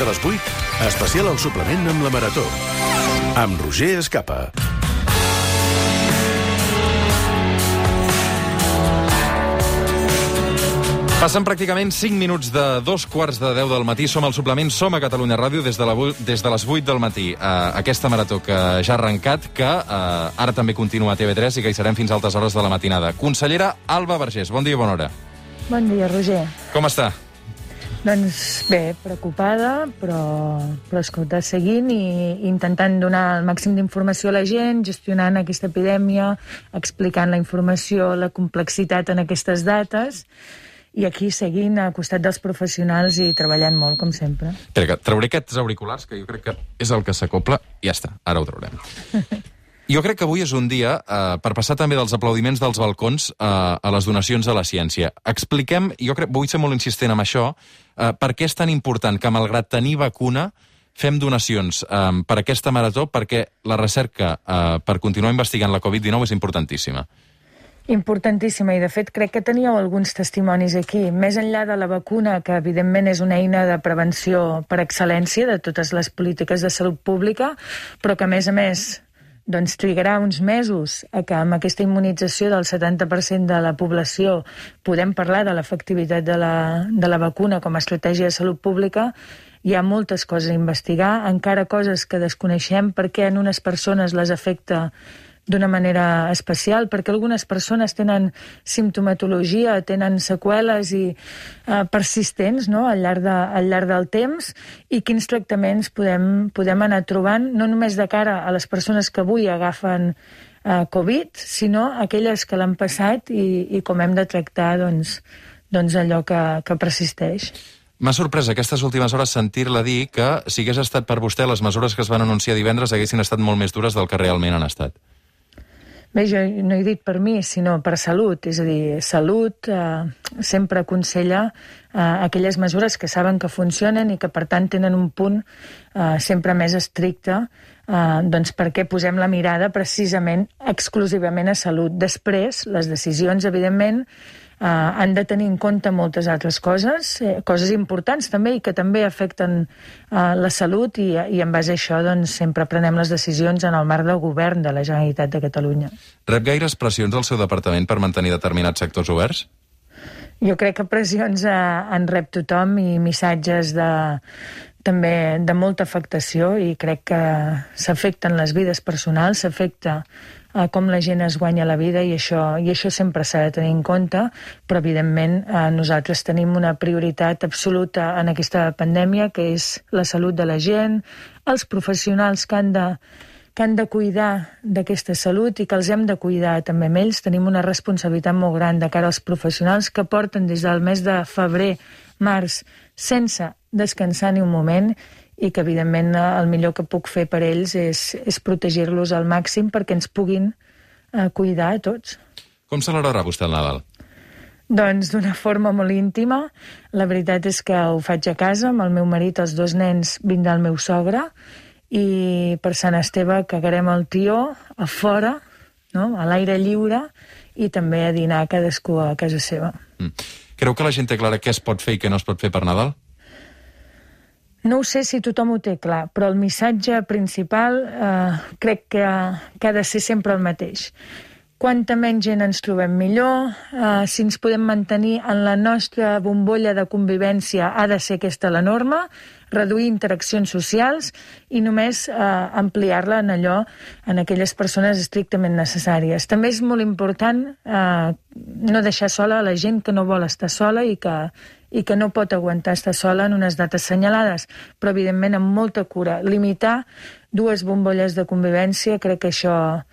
de les 8, especial al suplement amb la Marató. Amb Roger Escapa. Passen pràcticament 5 minuts de 2:45 del matí. Som al suplement, som a Catalunya Ràdio des de les 8 del matí. Aquesta marató que ja ha arrencat, que ara també continua a TV3 i que hi serem fins a altes hores de la matinada. Consellera Alba Vergés, bon dia i bona hora. Bon dia, Roger. Com està? Doncs bé, preocupada, però escolta, seguint i intentant donar el màxim d'informació a la gent, gestionant aquesta epidèmia, explicant la informació, la complexitat en aquestes dates, i aquí seguint al costat dels professionals i treballant molt, com sempre. Espera, que trauré aquests auriculars, que jo crec que és el que s'acopla. Ja està, ara ho traurem. Jo crec que avui és un dia per passar també dels aplaudiments dels balcons a les donacions a la ciència. Expliquem, jo crec, vull ser molt insistent amb això, per què és tan important que, malgrat tenir vacuna, fem donacions per aquesta marató, perquè la recerca per continuar investigant la Covid-19 és importantíssima. Importantíssima, i de fet crec que teníeu alguns testimonis aquí. Més enllà de la vacuna, que evidentment és una eina de prevenció per excel·lència de totes les polítiques de salut pública, però que a més, doncs trigarà uns mesos a que amb aquesta immunització del 70% de la població podem parlar de l'efectivitat de la vacuna com a estratègia de salut pública. Hi ha moltes coses a investigar, encara coses que desconeixem, perquè en unes persones les afecta d'una manera especial, perquè algunes persones tenen simptomatologia, tenen seqüeles i persistents, no?, al llarg del temps, i quins tractaments podem anar trobant, no només de cara a les persones que avui agafen Covid, sinó aquelles que l'han passat i com hem de tractar doncs allò que persisteix. M'ha sorprès aquestes últimes hores sentir-la dir que, si hagués estat per vostè, les mesures que es van anunciar divendres haguessin estat molt més dures del que realment han estat. Bé, jo no he dit per mi, sinó per Salut. És a dir, Salut sempre aconsella aquelles mesures que saben que funcionen i que, per tant, tenen un punt sempre més estricte, doncs perquè posem la mirada precisament exclusivament a Salut. Després, les decisions, evidentment, han de tenir en compte moltes altres coses, coses importants també i que també afecten la salut, i en base a això doncs, sempre prenem les decisions en el marc del govern de la Generalitat de Catalunya. Rep gaires pressions al seu departament per mantenir determinats sectors oberts? Jo crec que pressions en rep tothom i missatges també de molta afectació, i crec que s'afecten les vides personals, s'afecta com la gent es guanya la vida, i això sempre s'ha de tenir en compte, però evidentment nosaltres tenim una prioritat absoluta en aquesta pandèmia, que és la salut de la gent, els professionals que han de cuidar d'aquesta salut i que els hem de cuidar també amb ells. Tenim una responsabilitat molt gran de cara als professionals que porten des del mes de febrer, març, sense descansar ni un moment, i que, evidentment, el millor que puc fer per ells és protegir-los al màxim perquè ens puguin cuidar a tots. Com celebrarà vostè el Nadal? Doncs d'una forma molt íntima. La veritat és que ho faig a casa, amb el meu marit, els 2 nens, vindrà el meu sogre, i per Sant Esteve cagarem el tió a fora, no?, a l'aire lliure, i també a dinar cadascú a casa seva. Creu que la gent té clara què es pot fer i què no es pot fer per Nadal? No ho sé si tothom ho té clar, però el missatge principal crec que ha de ser sempre el mateix. Quanta menys gent ens trobem millor, si ens podem mantenir en la nostra bombolla de convivència ha de ser aquesta la norma, reduir interaccions socials i només ampliar-la en aquelles persones estrictament necessàries. També és molt important no deixar sola la gent que no vol estar sola i que no pot aguantar estar sola en unes dates assenyalades, però evidentment amb molta cura. Limitar 2 bombolles de convivència, crec que això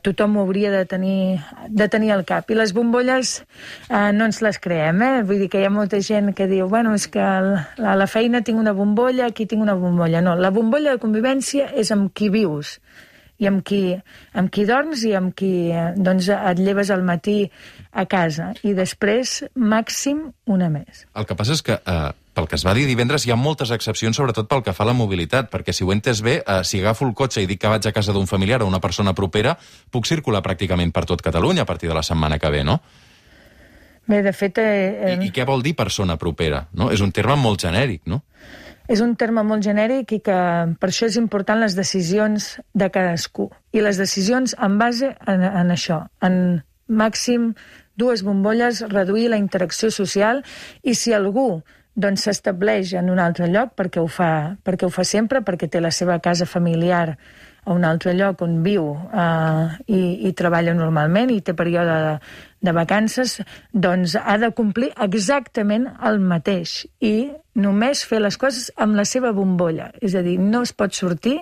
tothom ho hauria de tenir al cap. I les bombolles no ens les creem, Vull dir que hi ha molta gent que diu, bueno, és que a la feina tinc una bombolla, aquí tinc una bombolla. No, la bombolla de convivència és amb qui vius, i amb qui dorms i amb qui doncs, et lleves al matí a casa. I després, màxim, una més. El que passa és que, pel que es va dir divendres, hi ha moltes excepcions, sobretot pel que fa a la mobilitat, perquè si ho he entès bé, si agafo el cotxe i dic que vaig a casa d'un familiar o una persona propera, puc circular pràcticament per tot Catalunya a partir de la setmana que ve, no? Bé, de fet... I què vol dir persona propera? No? És un terme molt genèric, no? És un terme molt genèric i que per això és important les decisions de cadascú. I les decisions en base en això, en màxim 2 bombolles, reduir la interacció social, i si algú doncs s'estableix en un altre lloc perquè ho fa sempre, perquè té la seva casa familiar a un altre lloc on viu i treballa normalment i té període de vacances, doncs ha de complir exactament el mateix i només fer les coses amb la seva bombolla. És a dir, no es pot sortir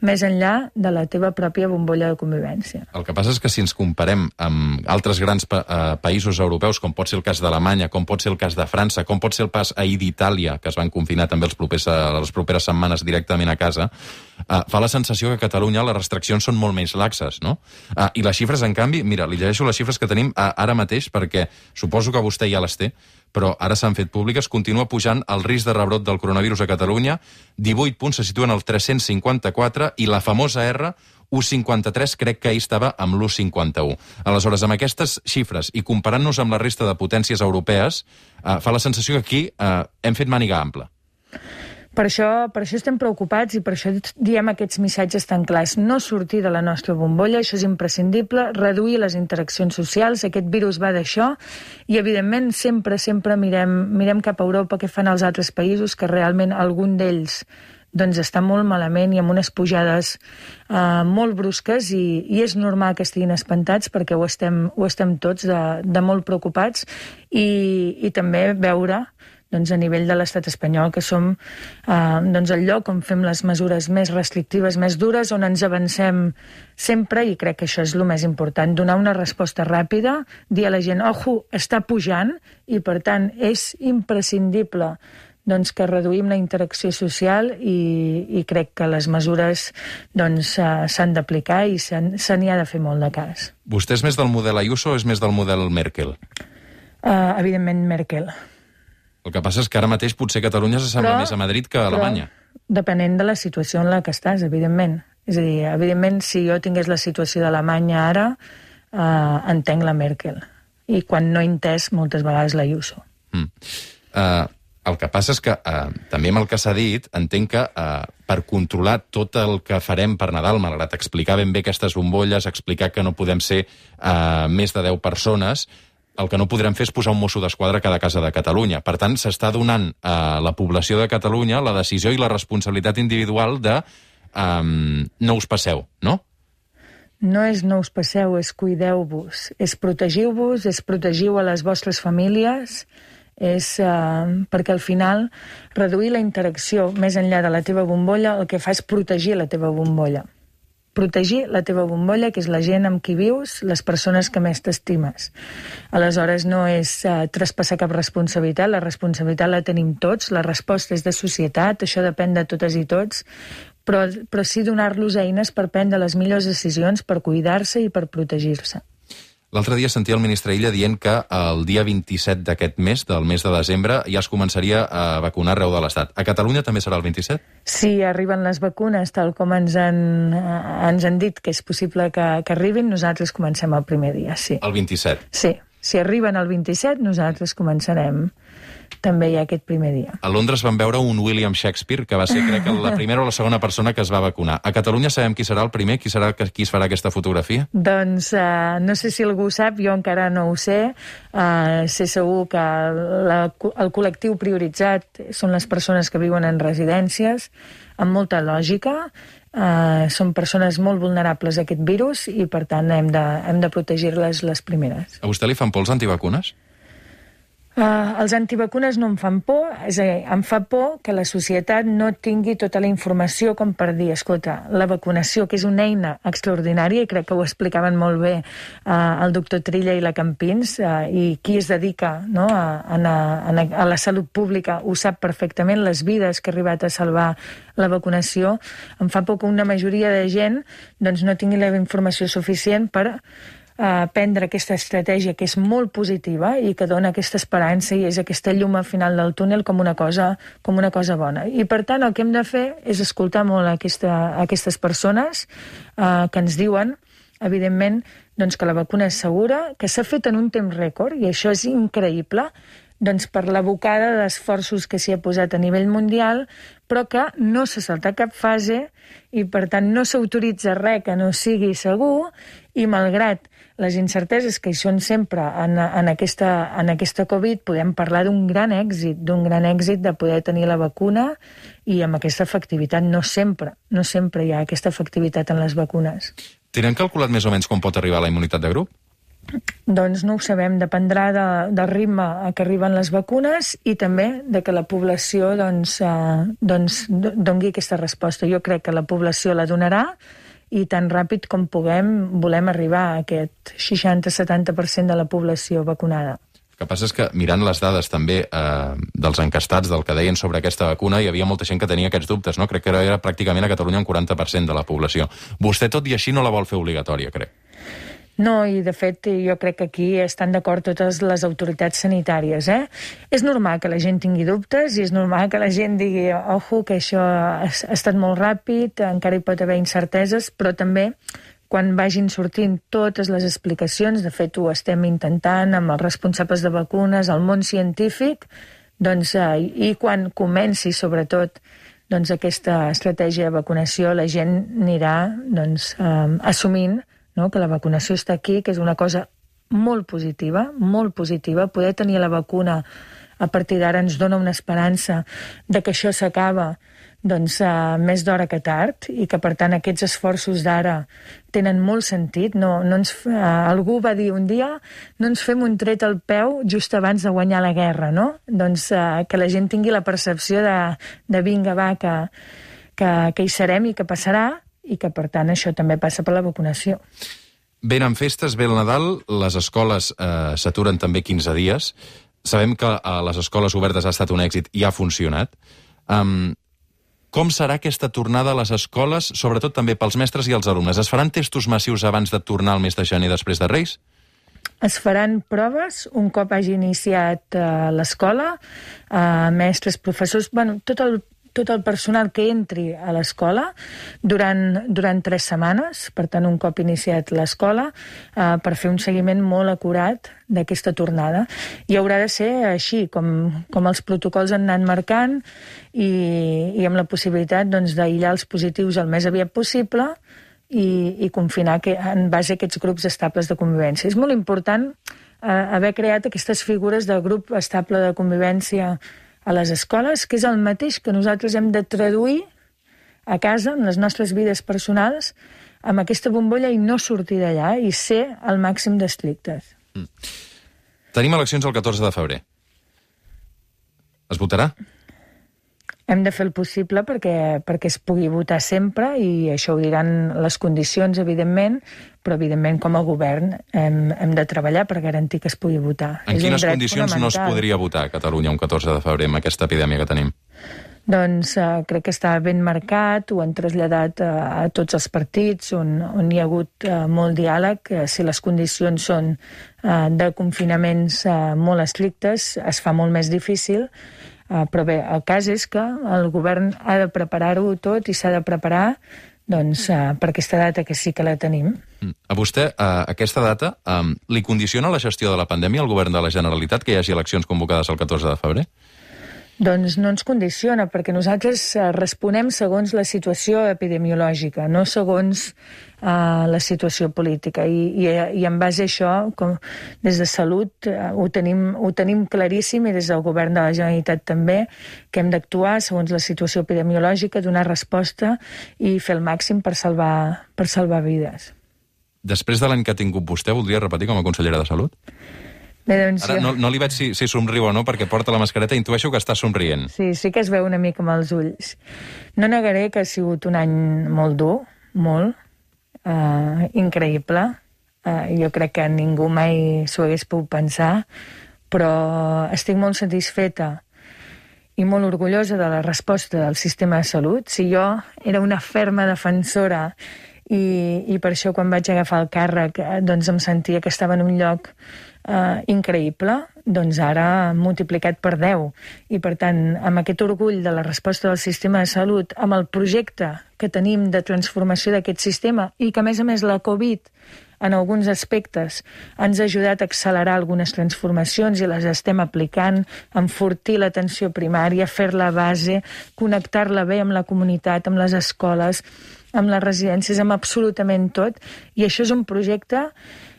més enllà de la teva pròpia bombolla de convivència. El que passa és que si ens comparem amb altres grans països europeus, com pot ser el cas d'Alemanya, com pot ser el cas de França, com pot ser el pas ahir d'Itàlia, que es van confinar també les properes setmanes directament a casa, fa la sensació que a Catalunya les restriccions són molt menys laxes, no? I les xifres, en canvi, mira, li llegeixo les xifres que tenim ara mateix, perquè suposo que vostè ja les té, però ara s'han fet públiques, continua pujant el risc de rebrot del coronavirus a Catalunya, 18 punts se situen al 354, i la famosa R, 1,53, crec que ahir estava amb l'1,51. Aleshores, amb aquestes xifres i comparant-nos amb la resta de potències europees, fa la sensació que aquí hem fet màniga ampla. Per això estem preocupats i per això diem aquests missatges tan clars. No sortir de la nostra bombolla, això és imprescindible, reduir les interaccions socials, aquest virus va d'això, i evidentment sempre mirem cap a Europa, què fan els altres països, que realment algun d'ells doncs està molt malament i amb unes pujades molt brusques, i és normal que estiguin espantats perquè ho estem tots de molt preocupats, i també veure doncs, a nivell de l'estat espanyol, que som doncs, el lloc on fem les mesures més restrictives, més dures, on ens avancem sempre, i crec que això és el més important, donar una resposta ràpida, dir a la gent, ojo, està pujant, i per tant és imprescindible doncs, que reduïm la interacció social, i crec que les mesures doncs, s'han d'aplicar i se n'hi ha de fer molt de cas. Vostè és més del model Ayuso o és més del model Merkel? Evidentment Merkel. El que passa és que ara mateix potser Catalunya s'assembla més a Madrid que a Alemanya. Depenent de la situació en la que estàs, evidentment. És a dir, evidentment, si jo tingués la situació d'Alemanya ara, entenc la Merkel. I quan no he entès, moltes vegades l'Ayuso. El que passa és que, també amb el que s'ha dit, entenc que per controlar tot el que farem per Nadal, malgrat explicar ben bé aquestes bombolles, explicar que no podem ser més de 10 persones, el que no podrem fer és posar un mosso d'esquadra a cada casa de Catalunya. Per tant, s'està donant a la població de Catalunya la decisió i la responsabilitat individual de no us passeu, no? No és no us passeu, és cuideu-vos, és protegiu-vos, és protegiu a les vostres famílies, és perquè al final reduir la interacció més enllà de la teva bombolla el que fa és protegir la teva bombolla. Protegir la teva bombolla, que és la gent amb qui vius, les persones que més t'estimes. Aleshores, no és traspassar cap responsabilitat, la responsabilitat la tenim tots, la resposta és de societat, això depèn de totes i tots, però sí donar-los eines per prendre les millors decisions, per cuidar-se i per protegir-se. L'altre dia sentia el ministre Illa dient que el dia 27 d'aquest mes, del mes de desembre, ja es començaria a vacunar arreu de l'Estat. A Catalunya també serà el 27? Sí, arriben les vacunes, tal com ens han dit que és possible que arribin, nosaltres comencem el primer dia, sí. El 27? Sí, si arriben el 27, nosaltres començarem també ja aquest primer dia. A Londres van veure un William Shakespeare, que va ser, crec, la primera o la segona persona que es va vacunar. A Catalunya sabem qui serà el primer? Qui es farà aquesta fotografia? Doncs no sé si algú ho sap, jo encara no ho sé. Sé segur que el col·lectiu prioritzat són les persones que viuen en residències, amb molta lògica. Són persones molt vulnerables a aquest virus i, per tant, hem de protegir-les les primeres. A vostè li fan por els antivacunes? Els antivacunes no em fan por, és a dir, em fa por que la societat no tingui tota la informació com per dir, escolta, la vacunació, que és una eina extraordinària, i crec que ho explicaven molt bé el doctor Trilla i la Campins, i qui es dedica a la salut pública ho sap perfectament, les vides que ha arribat a salvar la vacunació. Em fa por que una majoria de gent doncs, no tingui la informació suficient per prendre aquesta estratègia que és molt positiva i que dona aquesta esperança i és aquesta llum al final del túnel com una cosa bona. I per tant el que hem de fer és escoltar molt aquestes persones que ens diuen, evidentment, doncs, que la vacuna és segura, que s'ha fet en un temps rècord, i això és increïble, doncs per la bocada d'esforços que s'hi ha posat a nivell mundial, però que no s'ha saltat cap fase i, per tant, no s'autoritza res que no sigui segur, i malgrat les incerteses que hi són sempre en aquesta Covid, podem parlar d'un gran èxit de poder tenir la vacuna i amb aquesta efectivitat. No sempre hi ha aquesta efectivitat en les vacunes. Tenen calculat més o menys com pot arribar la immunitat de grup? Doncs no ho sabem, dependrà del ritme a què arriben les vacunes i també de que la població doni aquesta resposta. Jo crec que la població la donarà i tan ràpid com volem arribar a aquest 60-70% de la població vacunada. El que passa és que, mirant les dades també dels encastats, del que deien sobre aquesta vacuna, hi havia molta gent que tenia aquests dubtes, no? Crec que era pràcticament a Catalunya un 40% de la població. Vostè, tot i així, no la vol fer obligatòria, crec. No, i de fet jo crec que aquí estan d'acord totes les autoritats sanitàries. És normal que la gent tingui dubtes i és normal que la gent digui ojo, que això ha estat molt ràpid, encara hi pot haver incerteses, però també quan vagin sortint totes les explicacions, de fet ho estem intentant amb els responsables de vacunes, el món científic, doncs, i quan comenci sobretot aquesta estratègia de vacunació, la gent anirà assumint que la vacunació està aquí, que és una cosa molt positiva, poder tenir la vacuna a partir d'ara ens dona una esperança de que això s'acaba més d'hora que tard i que per tant aquests esforços d'ara tenen molt sentit. Algú va dir un dia no ens fem un tret al peu just abans de guanyar la guerra, no? Doncs que la gent tingui la percepció de vinga, va, que hi serem i que passarà, i que, per tant, això també passa per la vacunació. Venen festes, ve el Nadal, les escoles s'aturen també 15 dies. Sabem que a les escoles obertes ha estat un èxit i ha funcionat. Com serà aquesta tornada a les escoles, sobretot també pels mestres i els alumnes? Es faran testos massius abans de tornar al mes de gener després de Reis? Es faran proves un cop hagi iniciat l'escola, mestres, professors, tot el personal que entri a l'escola durant 3 setmanes, per tant, un cop iniciat l'escola, per fer un seguiment molt acurat d'aquesta tornada. I haurà de ser així, com els protocols han anat marcant i amb la possibilitat d'aïllar els positius el més aviat possible i confinar en base a aquests grups estables de convivència. És molt important haver creat aquestes figures de grup estable de convivència a les escoles, que és el mateix que nosaltres hem de traduir a casa, en les nostres vides personals, amb aquesta bombolla i no sortir d'allà i ser al màxim d'estrictes. Tenim eleccions el 14 de febrer. Es votarà? Hem de fer el possible perquè es pugui votar sempre i això ho diran les condicions, evidentment, però evidentment com a govern hem de treballar per garantir que es pugui votar. En quines condicions no es podria votar a Catalunya un 14 de febrer amb aquesta epidèmia que tenim? Doncs crec que està ben marcat, ho han traslladat a tots els partits on hi ha hagut molt diàleg. Si les condicions són de confinaments molt estrictes, es fa molt més difícil. Però bé, el cas és que el govern ha de preparar-ho tot i s'ha de preparar per aquesta data que sí que la tenim. A vostè, aquesta data, li condiciona la gestió de la pandèmia al govern de la Generalitat que hi hagi eleccions convocades el 14 de febrer? Doncs no ens condiciona, perquè nosaltres responem segons la situació epidemiològica, no segons la situació política. I en base a això, des de Salut, ho tenim claríssim, i des del govern de la Generalitat també, que hem d'actuar segons la situació epidemiològica, donar resposta i fer el màxim per salvar vides. Després de l'any que ha tingut vostè, voldria repetir com a consellera de Salut? Bé, doncs ara no li veig si somriu o no, perquè porta la mascareta i intueixo que està somrient. Sí que es veu una mica amb els ulls. No negaré que ha sigut un any molt dur, molt, increïble. Jo crec que ningú mai s'ho hagués pogut pensar, però estic molt satisfeta i molt orgullosa de la resposta del sistema de salut. Si jo era una ferma defensora i per això quan vaig agafar el càrrec doncs em sentia que estava en un lloc increïble, doncs ara multiplicat per 10. I per tant, amb aquest orgull de la resposta del sistema de salut, amb el projecte que tenim de transformació d'aquest sistema i que a més la Covid en alguns aspectes ens ha ajudat a accelerar algunes transformacions i les estem aplicant, enfortir l'atenció primària, fer-la base, connectar-la bé amb la comunitat, amb les escoles, amb les residències, amb absolutament tot. I això és un projecte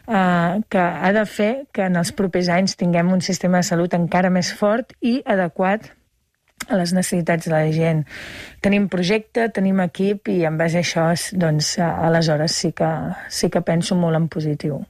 que ha de fer que en els propers anys tinguem un sistema de salut encara més fort i adequat a les necessitats de la gent. Tenim projecte, tenim equip i en base a això, doncs, aleshores sí que penso molt en positiu.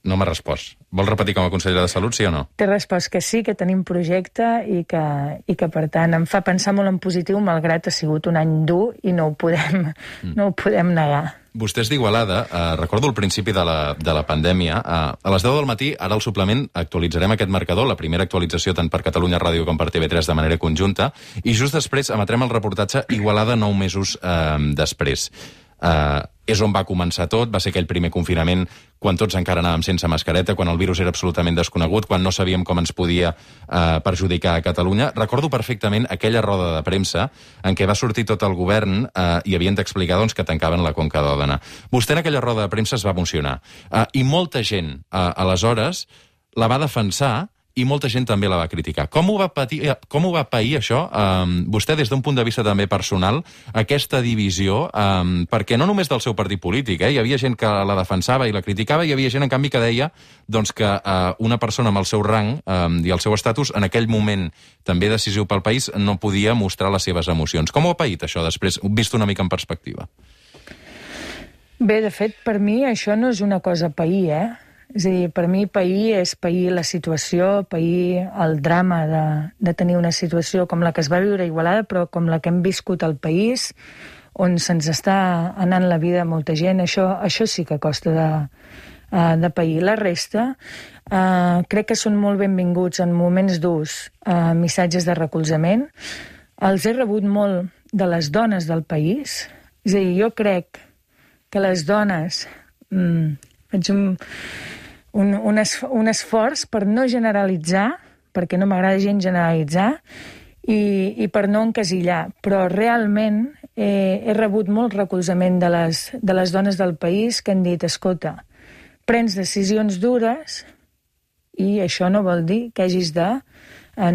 No m'ha respost. Vol repetir com a consellera de Salut, sí o no? T'he respost que sí, que tenim projecte i que per tant, em fa pensar molt en positiu, malgrat ha sigut un any dur i no ho podem negar. Vostè és d'Igualada. Recordo al principi de la pandèmia. A les 10 del matí, ara al suplement, actualitzarem aquest marcador, la primera actualització tant per Catalunya Ràdio com per TV3 de manera conjunta, i just després emetrem el reportatge Igualada 9 mesos després. És on va començar tot, va ser aquell primer confinament quan tots encara anàvem sense mascareta, quan el virus era absolutament desconegut, quan no sabíem com ens podia perjudicar a Catalunya. Recordo perfectament aquella roda de premsa en què va sortir tot el govern i havien d'explicar doncs, que tancaven la Conca d'Òdena. Vostè en aquella roda de premsa es va emocionar. I molta gent, aleshores, la va defensar i molta gent també la va criticar. Com ho va pair això, vostè, des d'un punt de vista també personal, aquesta divisió, perquè no només del seu partit polític, hi havia gent que la defensava i la criticava, i hi havia gent, en canvi, que deia doncs, que una persona amb el seu rang i el seu estatus, en aquell moment també decisiu pel país, no podia mostrar les seves emocions. Com ho ha paït això després, vist una mica en perspectiva? Bé, de fet, per mi això no és una cosa pair, És a dir, per mi pair és pair la situació, pair el drama de tenir una situació com la que es va viure a Igualada, però com la que hem viscut al país, on se'ns està anant la vida a molta gent. Això sí que costa de pair. La resta, crec que són molt benvinguts en moments durs missatges de recolzament. Els he rebut molt de les dones del país. És a dir, jo crec que les dones... faig un esforç per no generalitzar, perquè no m'agrada gent generalitzar, i per no encasillar. Però realment he rebut molt recolzament de les dones del país que han dit, escolta, prens decisions dures i això no vol dir que hagis de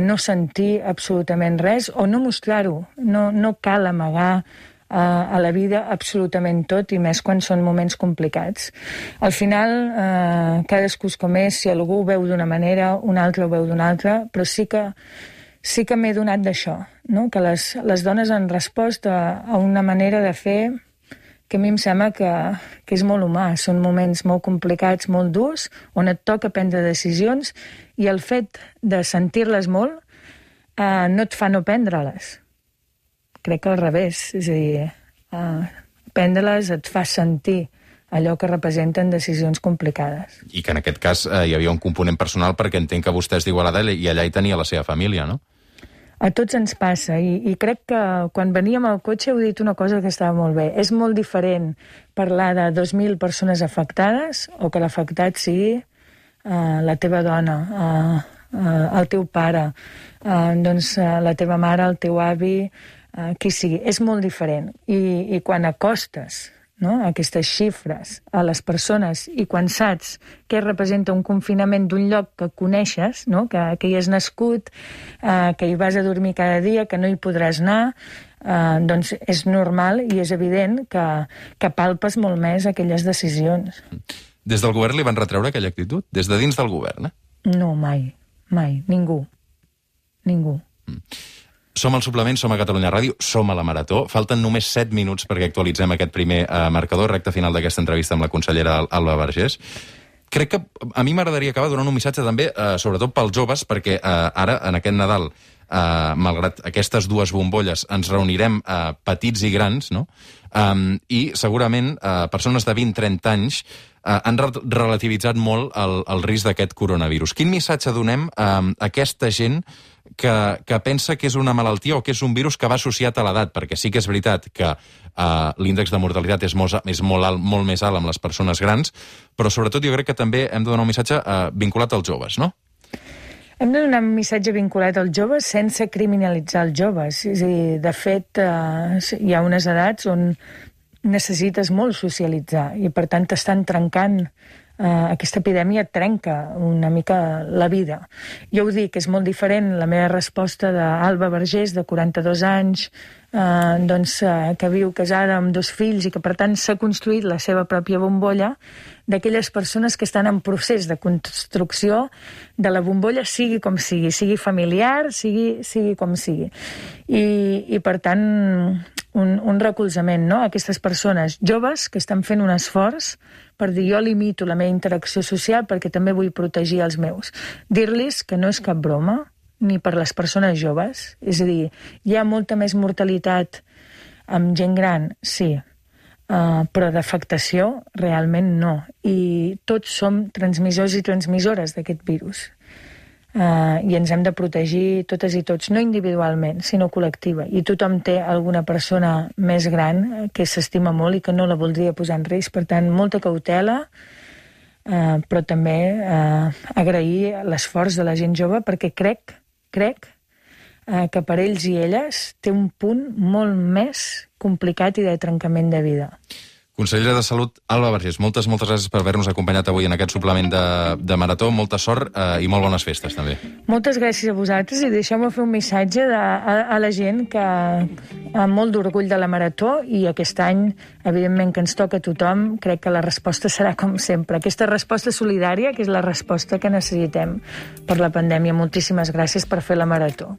no sentir absolutament res o no mostrar-ho. No cal amagar a la vida absolutament tot, i més quan són moments complicats. Al final, cadascú és com és, si algú ho veu d'una manera, un altre ho veu d'una altra, però sí que m'he donat d'això, no? Que les dones han respost a una manera de fer que a mi em sembla que és molt humà. Són moments molt complicats, molt durs, on et toca prendre decisions, i el fet de sentir-les molt no et fa no prendre-les. Crec que al revés, és a dir, prendre-les et fa sentir allò que representen decisions complicades. I que en aquest cas hi havia un component personal, perquè entenc que vostè és d'Igualada i allà hi tenia la seva família, no? A tots ens passa, i crec que quan veníem al cotxe heu dit una cosa que estava molt bé. És molt diferent parlar de 2.000 persones afectades o que l'afectat sigui la teva dona, el teu pare, doncs la teva mare, el teu avi, qui sigui. És molt diferent. I quan acostes, no, aquestes xifres a les persones i quan saps què representa un confinament d'un lloc que coneixes, no, que hi has nascut, que hi vas a dormir cada dia, que no hi podràs anar, doncs és normal i és evident que palpes molt més aquelles decisions. Des del govern li van retreure aquella actitud? Des de dins del govern, No, mai. Ningú. Som al suplement, som a Catalunya Ràdio, som a la Marató. Falten només 7 minuts perquè actualitzem aquest primer marcador, recte final d'aquesta entrevista amb la consellera Alba Vergés. Crec que a mi m'agradaria acabar donant un missatge també, sobretot pels joves, perquè ara, en aquest Nadal, malgrat aquestes dues bombolles, ens reunirem petits i grans, no? I segurament persones de 20-30 anys han relativitzat molt el risc d'aquest coronavirus. Quin missatge donem a aquesta gent que pensa que és una malaltia o que és un virus que va associat a l'edat? Perquè sí que és veritat que l'índex de mortalitat és molt més alt amb les persones grans, però sobretot jo crec que també hem de donar un missatge vinculat als joves, no? Hem de donar un missatge vinculat als joves sense criminalitzar els joves. És a dir, de fet, hi ha unes edats on necessites molt socialitzar i, per tant, t'estan trencant. Aquesta epidèmia trenca una mica la vida. Jo ho dic, és molt diferent la meva resposta d'Alba Vergés, de 42 anys, que viu casada amb 2 fills i que, per tant, s'ha construït la seva pròpia bombolla, d'aquelles persones que estan en procés de construcció de la bombolla, sigui com sigui familiar, sigui com sigui. I per tant, un recolzament, no?, a aquestes persones joves que estan fent un esforç per dir, jo limito la meva interacció social perquè també vull protegir els meus. Dir-los que no és cap broma, ni per les persones joves. És a dir, hi ha molta més mortalitat amb gent gran, sí, però d'afectació realment no. I tots som transmissors i transmissores d'aquest virus. I ens hem de protegir totes i tots, no individualment, sinó col·lectiva. I tothom té alguna persona més gran que s'estima molt i que no la voldria posar en risc. Per tant, molta cautela, però també agrair l'esforç de la gent jove, perquè crec que per ells i elles té un punt molt més complicat i de trencament de vida. Consellera de Salut, Alba Vergés, moltes gràcies per haver-nos acompanyat avui en aquest suplement de Marató. Molta sort i molt bones festes, també. Moltes gràcies a vosaltres i deixeu-me fer un missatge a la gent que amb molt d'orgull de la Marató, i aquest any, evidentment, que ens toca a tothom, crec que la resposta serà com sempre. Aquesta resposta solidària, que és la resposta que necessitem per la pandèmia. Moltíssimes gràcies per fer la Marató.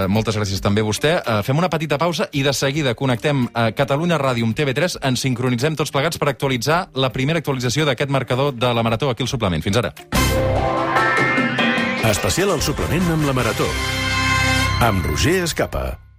Moltes gràcies també a vostè. Fem una petita pausa i de seguida connectem a Catalunya Ràdio amb TV3. Ens sincronitzem tots plegats per actualitzar la primera actualització d'aquest marcador de la Marató aquí al suplement. Fins ara. Especial al suplement amb la Marató. Amb Roger Escapa.